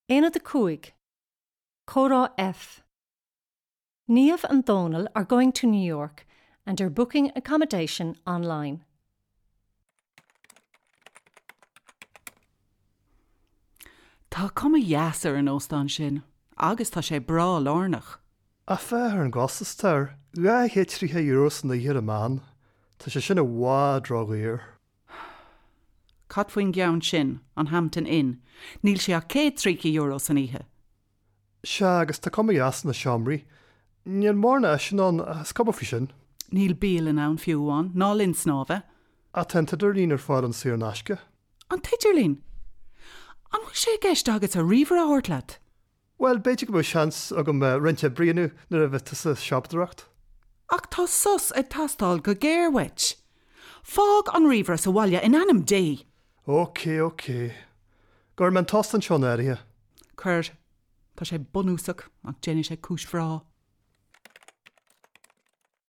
Aonad 5, Comhrá F. Niamh and Donal are going to New York and are booking accommodation online. Tá cuma dheas ar an óstán sin agus tá sé breá lárnach. Ach féach ar an gcostas atá air, €230 san oíche ar an meán. Tá sé sin i bhfad ródhaor. Cad faoin gceann sin, an Hampton Inn? Níl sé ach €130 san oíche. Sea, agus tá cuma dheas ar na seomraí. Níl mórán áiseanna ann, ach is cuma faoi sin. Níl bialann ann fiú amháin, ná linn snámha. Ach tá an t-idirlíon ar fáil ann saor in aisce. An t-idirlíon? An bhfuil sé i gceist agatsa ríomhaire a thabhairt leat? Bhuel, b'fhéidir go mbeadh seans agam roinnt oibre a dhéanamh nuair a bheidh tusa ag siopadóireacht. Ach tá sos ag teastáil go géar uait. Fág an ríomhaire sa bhaile in ainm Dé! Ok, ok. Gcuirfidh mé an t-óstán seo in áirithe. Cuir. Tá sé bunúsach ach déanfaidh sé cúis bhreá.